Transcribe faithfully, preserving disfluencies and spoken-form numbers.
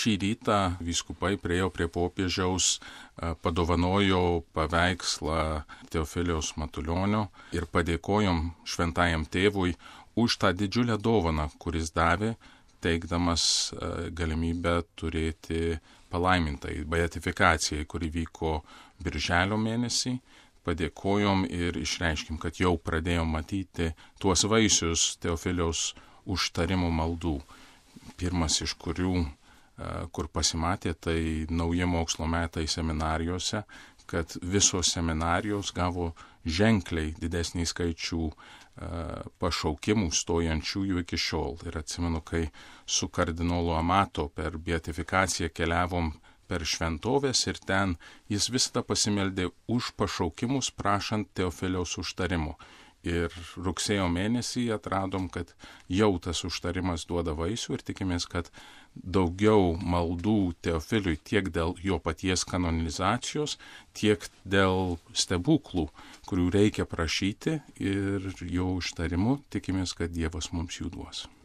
šį rytą vyskupai priėjo prie popiežiaus, padovanojo paveikslą Teofiliaus Matulionio ir padėkojom šventajam tėvui už tą didžiulę dovaną, kuris davė, teikdamas galimybę turėti palaimintai beatifikacijai, kuri vyko birželio mėnesį. Padėkojom ir išreiškim, kad jau pradėjom matyti tuos vaisius Teofiliaus užtarimo maldų. Pirmas iš kurių, kur pasimatė, tai nauji mokslo metai seminarijose, kad visos seminarijos gavo ženkliai didesnį skaičių pašaukimų stojančiųjų iki šiol. Ir atsimenu, kai su kardinolu Amato per beatifikaciją keliavom per šventovės ir ten jis visada pasimeldė už pašaukimus, prašant Teofiliaus užtarimo. Ir rugsėjo mėnesį atradom, kad jau tas užtarimas duoda vaisių ir tikimės, kad daugiau maldų Teofiliui tiek dėl jo paties kanonizacijos, tiek dėl stebuklų, kurių reikia prašyti ir jo užtarimu, tikimės, kad Dievas mums jų duos.